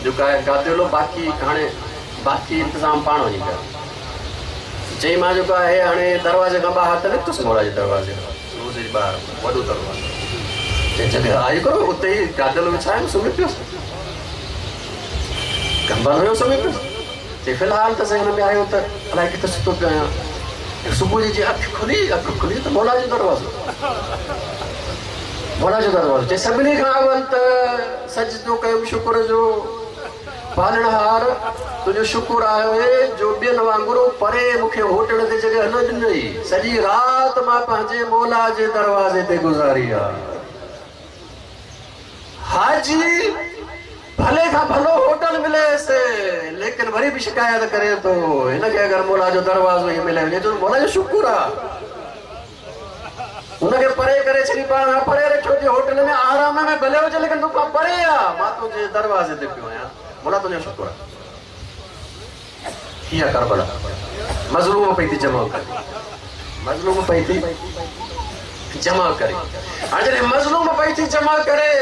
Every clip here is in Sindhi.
جيڪو آهي گاديلو باقي هاڻي باقي انتظام پاڻ وڃي ڪر. چئي مان جيڪو آهي هاڻي دروازي کان ٻاهر ته نڪتس مولا جي دروازي کان روضي جي ٻاهر وڏو دروازو چئي جڳهه آئي ڪرو اتي ئي گاديلو وڇايم سمهي پيس ڪمبل هيو سمهي پيس. چئي في الحال ته ذهن ۾ آيو ته الائي ڪٿي ستو پيو آهيان. صبح جي جيئن اک کلي، اک کلي ته مولا جو دروازو. مولا جو دروازو. چئي سڀني کان اول ته سجدو ڪيم شڪر جو. پالڻهار تنهنجو شڪر آهي جو ٻين وانگر پري مون کي هوٽل تي جڳهه نه ڏنئي. سڄي رات مان پنهنجي مولا جي دروازي تي گذاري آ. حاجي ڀلي کان ڀلو هوٽل مليس ليڪن وري به شڪايت ڪري ٿو هن کي اگر مولا جو دروازو ئي ملي وڃي ته مولا جو شڪر آ هن کي پري ڪري ڇڏي پاڻ کان پري رکيو ٿي هوٽل ۾ آرام ۾ ڀلي هجي ليڪن تو کان پري آ مان تنهنجي دروازي تي پيو آهيان مولا تنهنجو شڪر آ هي آ ڪربلا مظلوم پئي ٿي جمع ڪري مظلوم پئي ٿي جمع ڪري هاڻي جڏهن مظلوم پئي ٿي جمع ڪري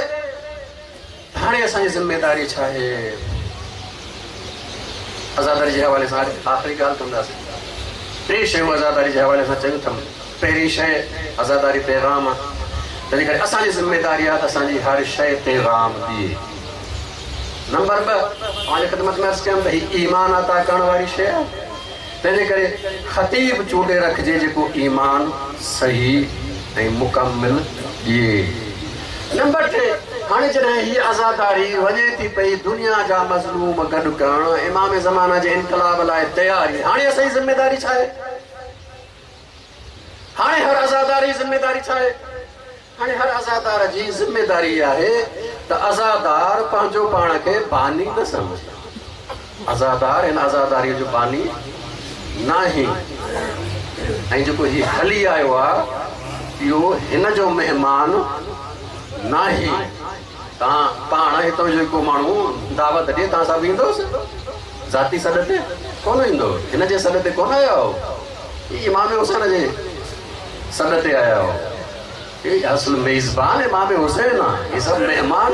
هاڻي اسان جي ذميداري ڇا آهي؟ عزاداري جي حوالي سان آخري ڳالهه ڪنداسين. ٽي شيون عزاداري جي حوالي سان چيون اٿم. پهرين شيء عزاداري پيغام آهي، تنهنجي ڪري اسان جي ذميداري آهي ته اسان جي هر شيء پيغام ڏئي. نمبر 2 اوهان جي خدمت ۾ عرض ڪيم ته هي ايمان عطا ڪرڻ واري شيء آهي، تنهنجي ڪري خطيب چونڊي رکجي جيڪو ايمان صحيح ۽ مڪمل ڏئي. نمبر 3 هاڻي جڏهن هيء عزاداري وڃي ٿي پئي دنيا جا مظلوم گڏ ڪرڻ، امام زمانه جي انقلاب لاء تياري، هاڻي اسان جي ذميداري ڇا آهي؟ هاڻي هر عزادار جي ذميداري ڇا آهي؟ هاڻي هر عزادار جي ذميداري اها آهي ته عزادار پنهنجو پاڻ کي باني نه سمجهي. عزادار هن عزاداريء جو باني ناهي ۽ جيڪو هي هلي آيو آهي اهو هن جو مهمان ناهي. توهان پاڻ هتان جو ڪو ماڻهو دعوت ڏئي توهان سڀ ايندوس؟ ذاتي سڏ تي ڪونه ايندو. هن جي سڏ تي ڪونه آيا آهيو. هي امام حسين جي سڏ تي آيا آهيو. هي اصل ميزبان امام حسين آهي. هي سڀ مهمان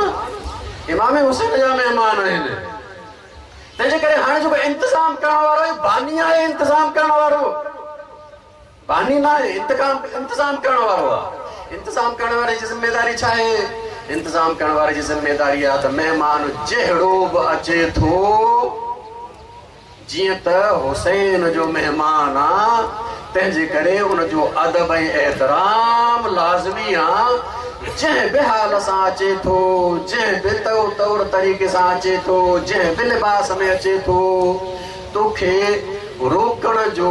امام حسين جا مهمان آهن. تنهنجي ڪري هاڻي جيڪو انتظام ڪرڻ وارو آهي باني آهي انتظام ڪرڻ وارو. باني ناهي، انتظام ڪرڻ وارو آ. انتظام ڪرڻ واري جي ذميداري ڇا آهي؟ انتظام ڪرڻ واري جي ذميداري آ ته مهمان جهڙو به اچي ٿو، جيئن ته حسين جو مهمان آ، تنهن جي ڪري ان جو ادب ۽ احترام لازمي آ. جنهن به حال سان اچي ٿو، جنهن به طور طريقي سان اچي ٿو، جنهن به لباس ۾ اچي ٿو، توکي روڪڻ جو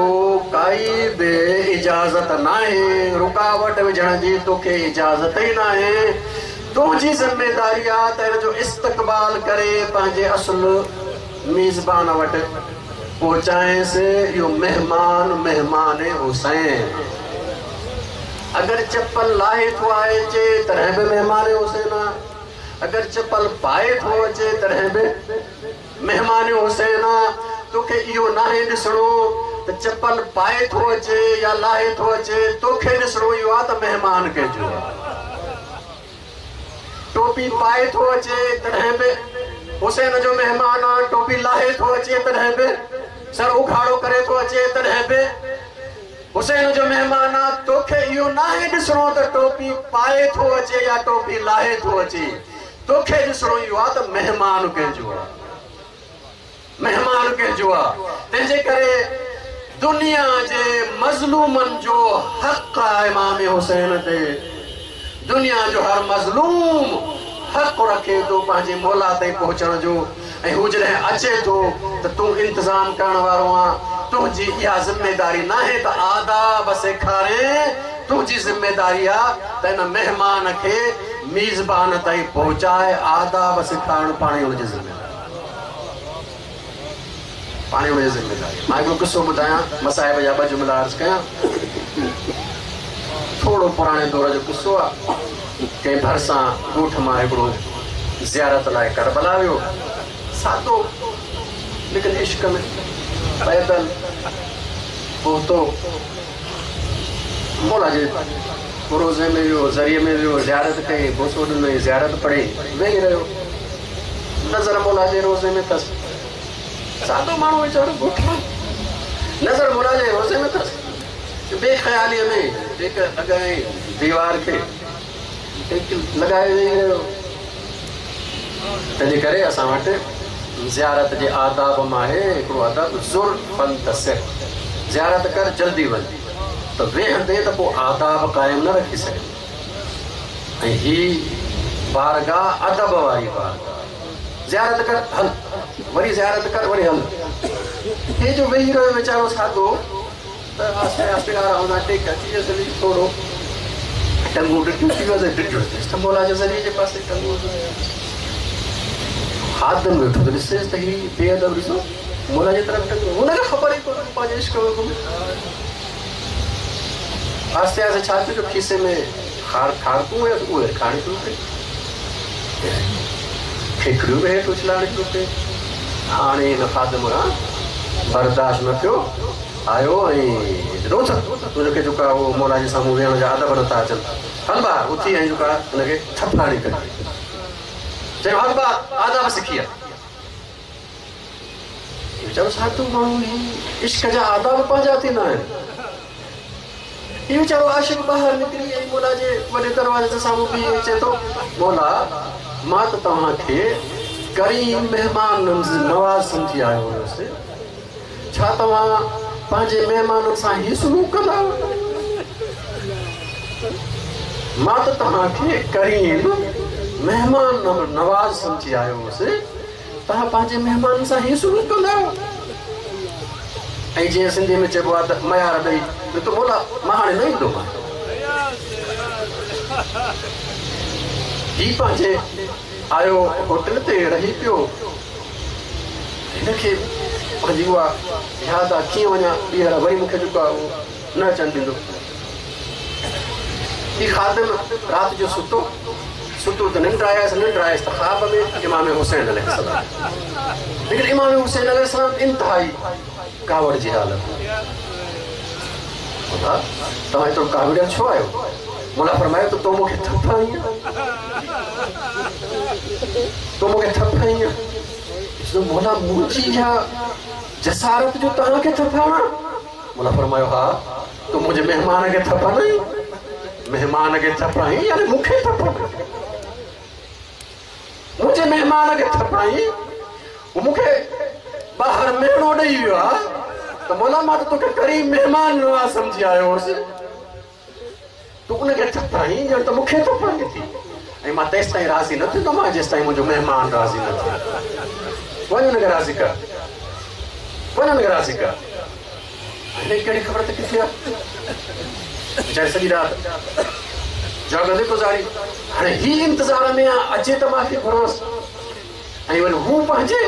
ڪائي به اجازت ناهي، رڪاوٽ وجهڻ جي توکي اجازت ئي ناهي، تنهنجي ذميداري آ ته هن جو استقبال ڪري پنهنجي اصل ميزبان وٽ پهچائينس، اهو مهمان مهمان حسين اگر چپل لاهي ٿو اچي تڏهن به مهمان حسين آ، اگر چپل پائي ٿو اچي تڏهن به. مهمان حسين آ، توکي اهو ناهي ڏسڻو ته چپل پائي ٿو اچي يا لاهي ٿو اچي، توکي ڏسڻو اهو آ ته مهمان ڪنهن جو آ. ٽوپي پائي ٿو اچي تڏهن به حسين جو مهمان آ، ٽوپي لاهي ٿو اچي تڏهن به، سر اگهاڙو ڪري ٿو اچي تڏهن به حسين جو مهمان آ، توکي اهو ناهي ڏسڻو ته ٽوپي پائي ٿو اچي يا ٽوپي لاهي ٿو اچي، توکي ڏسڻو اهو آ ته مهمان ڪنهن جو آ، مهمان ڪنهن جو آ، تنهنجي ڪري دنيا جي مظلومن جو حق آ امام حسين تي، دنيا جو هر مظلوم حق رکي ٿو پنهنجي مولا تائين پهچڻ جو ۽ هو جڏهن اچي ٿو ته تون انتظام ڪرڻ وارو آن، تنهنجي اها ذميداري ناهي ته آداب سيکارين، تنهنجي ذميداري آ ته ان مهمان کي ميزبان تائين پهچائي آداب سيکارڻ پاڻ ئي ان جي ذميداري پاڻ ئي ان جي ذميداري. مان هڪڙو قصو ٻڌايان، مصائب جا ٻه جملا عرض ڪيان. ٿورو پراڻي دور جو قصو آ. ڪنهن ڀرسان ڳوٺ مان هڪڙو زيارت لاء ڪربلا ويو. سادو ليڪن عشق ۾ پيدل پهتو. مولا جي روضي ۾ ويو، ضريح ۾ ويو، زيارت ڪئي، بوسو ڏنائين، زيارت پڙهي، ويهي رهيو. नज़र मौला जे रोज़े में अथसि। सादो माण्हू वीचारो ॻोठ मां, नज़र मौला जे रोज़े में अथसि। बेख़यालीअ में टेक लॻाए दीवार खे, टेक लॻाए वेही रहियो। तंहिंजे करे असां वटि ज़ियारत जे आदाब मां आहे हिकिड़ो अदब, ज़ुर फंतसिर, ज़ियारत कर जल्दी वञ, त वेहंदे त पोइ आदाब क़ाइमु न रखी सघे। ऐं ही बारगाह अदब वारी बारगाह, ज़ियारत कर हल, वरी ज़ियारत कर वरी हल। हे जो वेही रहियो वीचारो सादो, त आस्ते आस्ते आराम सां टेक अची वियुसि, थोरो टंगूं ॾिठियूं थी वियुसि, ॾिठियूं त मौला जे ज़रिए जे पासे टंगूं खादम वेठो त ॾिसेसि त ही बेअदब ॾिसो मौला जे तरफ़ टंगूं, हुनखे ख़बर ई कोन्हे पंहिंजे इश्क में। आस्ते आस्ते छा थियो जो खीसे में खारकूं हुयुसि, उहे खाइण शुरू कई, खेखड़ियूं बि हेठि उछलाइण शुरू कई। हाणे हिन ख़ादिम खां बर्दाश्त न थियो, आयो ऐं रोज़ तुंहिंजे जेको आहे उहो मौला जे साम्हूं वेहण जा अदब नथा अचनि, हल ॿाहिरि उथी ऐं जेको आहे हुनखे थप हणी कढी, चयो हल ॿाहिरि आदाब सिखी आहे। वीचारो साधू माण्हू इश्क जा आदाब पंहिंजा थींदा आहिनि। इहो वीचारो आशिक ॿाहिरि निकिरी ऐं मौला जे वॾे दरवाज़े जे साम्हूं बीहे चए थो, मौला मां त तव्हांखे करीम महिमान नवाज़ सम्झी आयो हुयुसि, छा तव्हां पंहिंजे महिमाननि सां ही सुलूक कंदा? मां त तव्हांखे करीम महिमान नवाज़ सम्झी आयो हुउसि, तव्हां पंहिंजे महिमाननि सां ही सुलूक कंदा आहियो? ऐं जीअं सिंधीअ में चइबो आहे त मयार ॾेई, त मौला मां हाणे न ईंदोमांइ। ही पंहिंजे आयो होटल ते रही पियो, हिनखे पंहिंजी उहा यादि आहे कीअं वञा ॿीहर, वरी मूंखे जेको आहे उहो न अचणु ॾींदो। ही ख़ादिम राति जो सुतो, सुतो त निंड आयसि, निंड आयसि त ख़्वाब में इमाम हुसैन अलैहिस्सलाम। लेकिन इमाम हुसैन अलैहिस्सलाम इंतिहाई कावड़ जी हालत। मौला तव्हां एतिरो काविड़ियल छो आहियो? मौला फरमायो त तो मूंखे थप हणी आहे, तो मूंखे थप हणी आहे। मौला मुंहिंजी इहा जसारत जो तव्हांखे थप हणा? मौला फरमायो हा, तूं मुंहिंजे महिमान खे थप हणई, महिमान खे थप हणी यानी मूंखे थप हणी, मुंहिंजे महिमान खे थप हणी, मूंखे ॿाहिरि महिनो ॾेई वियो आहे, त मौला मां त तोखे करीम महिमान नवाज़ सम्झी आयो हुउसि, तूं उनखे थप हणी ॼण त मूंखे थप हणी थी, ऐं मां तेसि ताईं राज़ी न थींदोमांइ जेसि ताईं मुंहिंजो महिमान राज़ी न थिए। वञ हुनखे राज़ी कर, वञ हुनखे राज़ी कर। हिनखे कहिड़ी ख़बर त किथे आहे? वीचारी सॼी राति जाॻंदे गुज़ारी। हाणे ही इंतज़ार में आहे अचे त माफ़ी घुरांसि, ऐं वरी हू पंहिंजे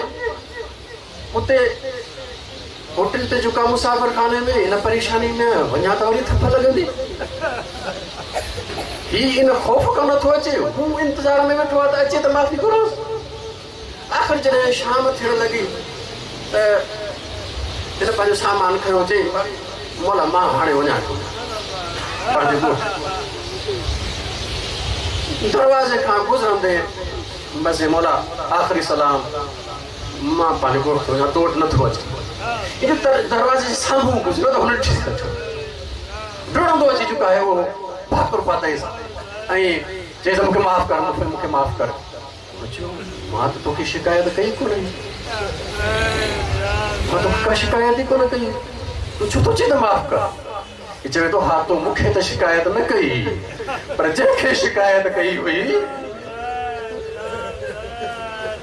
उते होटल ते जेको आहे मुसाफ़िर खाने में इन परेशानी में वञा त वरी थप लॻंदी। ही इन ख़ौफ़ खां नथो अचे, हू इंतज़ार में वेठो आहे त अचे त माफ़ी घुरांसि। आख़िर जॾहिं शाम थियण लॻी त हिन पंहिंजो सामान खयो, चई मौला मां हाणे वञा थो पंहिंजे ॻोठ। दरवाज़े खां गुज़रंदे बसि मौला आख़िरी सलाम, मां पंहिंजे ॻोठ थो वञा, तो वटि नथो अचे। इन दरवाज़े जे साम्हूं गुज़रियो त हुन ॾिठी छॾियो, डिड़ंदो अची चुको आहे उहो भाकुर पातईंसि ऐं चईंसि मूंखे माफ़ कर, मूंखे माफ़ कर। चयो मां त तोखे शिकायत कई कोन्हे, मां तोखे का शिकायत ई कोन कई, तूं छो थो चए त माफ़ कर? चवे थो हा, तो मूंखे त शिकायत न कई, पर जंहिंखे शिकायत कई हुई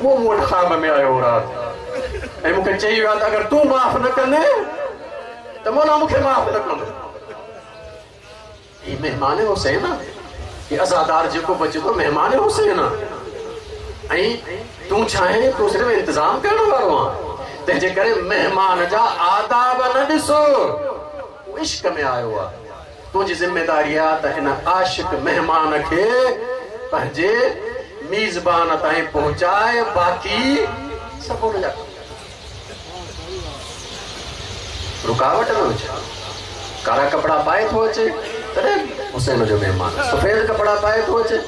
उहो मूं वटि ख़्वाब में आयो राति ऐं मूंखे चई वियो आहे त अगरि तूं माफ़ न कंदे त मौला मूंखे माफ़ न कंदो। ही महिमान हुसैन आहे, ही अज़ादार जेको बचे थो महिमान हुसैन आहे, ऐं तूं छा आहीं? तूं सिर्फ़ु इंतज़ाम करण वारो आहीं। तंहिंजे करे महिमान जा आदाब न ॾिसो, इश्क में आयो आहे। तुंहिंजी ज़िम्मेदारी आहे त हिन आशिक महिमान खे पंहिंजे मेज़बान ताईं पहुचाए, बाक़ी सभु हुनजा रुकावट न विझ। कारा कपिड़ा पाए थो अचे तॾहिं हुसैन जो महिमान, सफ़ेद कपिड़ा पाए थो अचे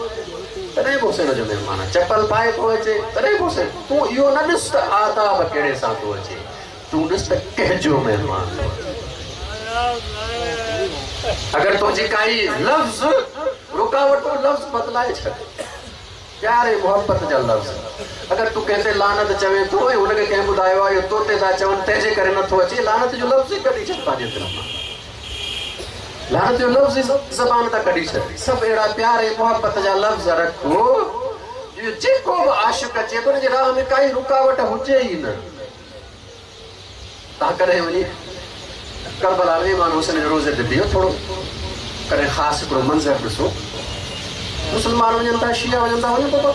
تڏهن به حسين جو مهمان آ، چپل پائي ٿو اچي تڏهن به حسين، تون اهو نه ڏس ته آداب ڪهڙي سان ٿو اچي، تون ڏس ته ڪنهن جو مهمان ٿو اچي. اگر تنهنجي ڪائي لفظ رڪاوٽ اهو لفظ بدلائي ڇڏ. پيار ۽ محبت جا لفظ. اگر تون ڪنهن تي لعنت چوين ٿو ۽ هن کي ڪنهن ٻڌايو آهي اهو تو تي ٿا چون تنهن جي ڪري نٿو اچي، لعنت جو لفظ ئي ڪڍي ڇڏ پنهنجي دل مان. لعنت جو لفظ ئي زبان تان ڪڍي ڇڏ. سڀ اهڙا پيار ۽ محبت جا لفظ رک جو جيڪو به عاشق اچي ٿو ان جي راهه ۾ ڪائي رڪاوٽ هجي ئي نه. توهان ڪڏهن وڃي ڪربلا ۾ امام حسين جي روضي تي بيهو ٿورو ڪڏهن خاص هڪڙو منظر ڏسو. مسلمان وڃن ٿا شيعا وڃن ٿا وڃو بابا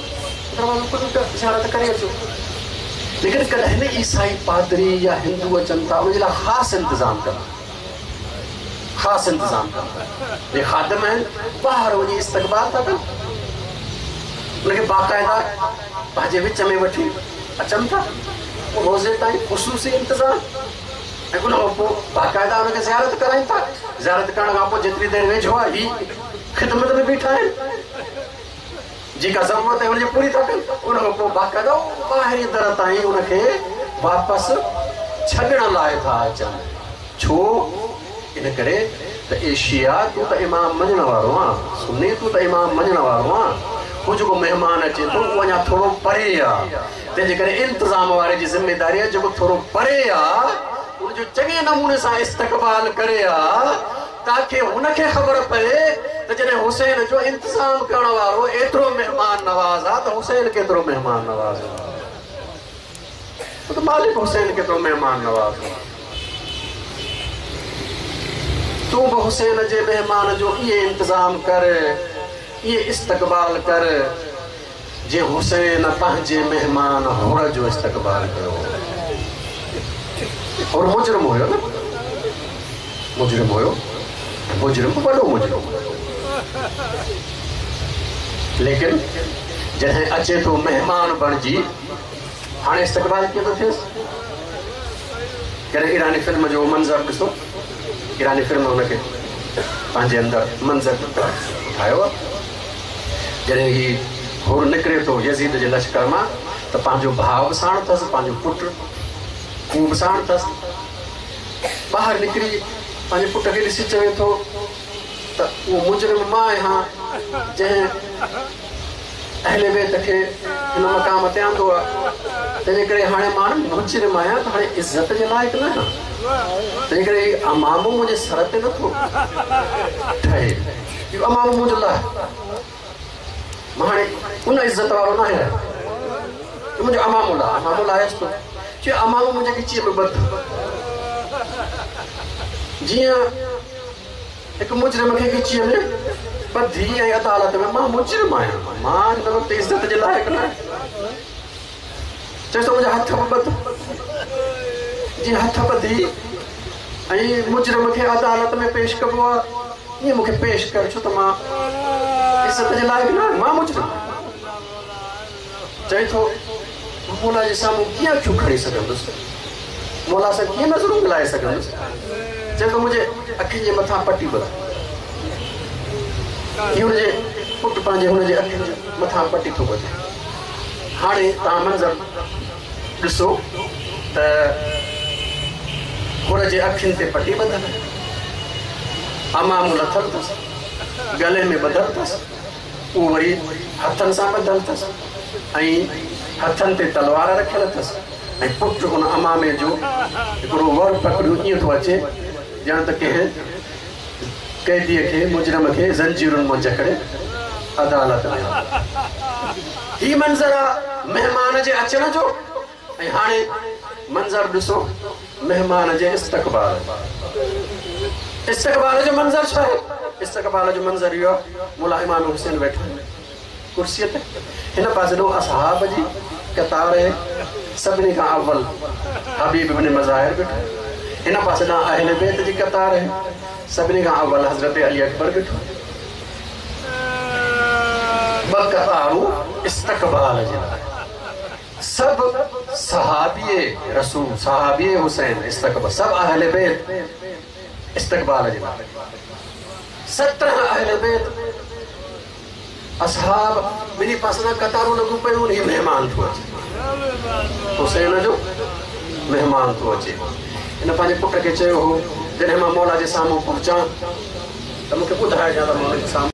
دروازو کولي زيارت ڪري اچو. ليڪن ڪڏهن عيسائي پادري يا هندو اچن ٿا ان جي لاء خاص انتظام ڪن ٿا. خاص انتظام ڪن ٿا. جي خادم آهن ٻاهر وڃي استقبال ٿا ڪن ان کي باقاعده پنهنجي وچ ۾ وٺي اچن ٿا پوء روضي تائين خصوصي انتظام ۽ ان کان پوء باقاعده ان کي زيارت ڪرائين ٿا. زيارت ڪرڻ کان پوء جيتري دير ويجهو آهي هي خدمت ۾ بيٺا آهن جيڪا ضرورت آهي ان جي پوري ٿا ڪن ان کان پوء باقاعده ٻاهرين در تائين ان کي واپس ڇڏڻ لاء ٿا اچن. ڇو؟ ان ڪري ته اي شيعا تون ته امام مڃڻ وارو آن، سني تون ته امام مڃڻ وارو آن، هو جيڪو مهمان اچي ٿو اهو اڃا ٿورو پري آ، تنهن جي ڪري انتظام واري جي ذميداري آ جيڪو ٿورو پري آ ان جو چڱي نموني سان استقبال ڪري آ تاڪه هن کي خبر پئي ته جڏهن حسين جو انتظام ڪرڻ وارو ايترو مهمان نواز آ ته حسين ڪيترو مهمان نواز آ. ته مالڪ حسين ڪيترو مهمان نواز هو. تون به حسين جي مهمان جو ائين انتظام ڪر، ائين استقبال ڪر، جيئن حسين پنهنجي مهمان حر جو استقبال ڪيو هو. حر مجرم هيو نه؟ مجرم هيو، مجرم به وڏو مجرم هيو. ليڪن جڏهن اچي ٿو مهمان بڻجي، هاڻي استقبال ڪيئن ٿو ٿئيس؟ ڪڏهن ايراني فلم جو منظر ڏسو، ايراني فلم هن کي پنهنجي اندر منظر ٺاهيو آهي. جڏهن هي حر نڪري ٿو يزيد جي لشڪر مان ته پنهنجو ڀاء به ساڻ اٿس، پنهنجو پٽ اهو به ساڻ اٿس. ٻاهر نڪري پنهنجي پٽ کي ڏسي چوي ٿو ته اهو مجرم مان آهيان جنهن اهل بيت کي هن مقام تي آندو آهي، تنهنجي ڪري هاڻي مان مجرم آهيان ته هاڻي عزت جي لائق نه آهيان، تنهنجي ڪري هي عمامو منهنجي سر تي نٿو ٺهي، اهو عمامو منهنجو لاهه، مان هاڻي ان عزت وارو نه آهيان، منهنجو عمامو لاهه، عمامو لاهيس ٿو، چيو عمامو منهنجي ڳچيء ۾ ٻڌ، جيئن هڪ مجرم کي ڳچيء ۾ ٻڌي ۽ عدالت ۾ مان مجرم آهيان، مان هن وقت عزت جي لائق نه آهيان. چيس ته منهنجا هٿ به ٻڌ. جيئن هٿ ٻڌي ۽ مجرم کي عدالت ۾ پيش ڪبو آهي، ائين مون کي پيش ڪر، ڇو ته مان عزت جي لائق نه آهيان، مان مجرم آهيان. چئي ٿو، مان مولا جي سامهون ڪيئن اکيون کڻي سگهندس؟ مولا سان ڪيئن نظرون ملائي سگهندس؟ چئي ٿو، منهنجي اکين جي مٿان پٽي ٻڌ. هي هن جي پٽ پنهنجي هن جي اکين جي مٿان پٽي ٿو ٻڌي. هاڻي توهان منظر ڏسو ته حر جي اکين تي پٽي ٻڌل آهي، عمامو لٿل اٿس، ڳلي ۾ ٻڌل اٿس. اهو وري هٿن سان ٻڌل اٿس ۽ هٿن تي تلوار رکيل اٿس ۽ پٽ ان عمامي جو هڪڙو ور پڪڙيو ائين ٿو اچي ڄڻ ته ڪنهن قيديء کي، مجرم کي، زنجيرن مان جڪڙي عدالت ۾ آندو. هي منظر آ مهمان جي اچڻ جو ۽ هاڻي منظر ڏسو مهمان جي استقبال جو. استقبال جو منظر ڇا آهي؟ استقبال جو منظر اهو آهي، مولا امام حسين ويٺا آهن ڪرسيء تي، هن پاسي ڏانهن اصحاب جي قطار آهي، سڀني کان اول حبيب بن مظاهر بيٺو، هن پاسي ڏانهن اهل بيت جي قطار آهي، سڀني کان اول حضرت علي اڪبر بيٺو. ٻه قطارون استقبال جي لاء. سڀ صحابي رسول، صحابي حسين استقبال، سڀ اهل بيت استقبال جي لاء، 17 اهل بيت اصحاب ٻنهي پاسن کان قطارون لڳيون پيون آهن، هي مهمان ٿو اچي، حسين جو مهمان ٿو اچي. هن پنهنجي پٽ کي چيو هو، جڏهن مان مولا جي سامهون پهچان ته مون کي ٻڌائجان ته مان ان جي سامهون.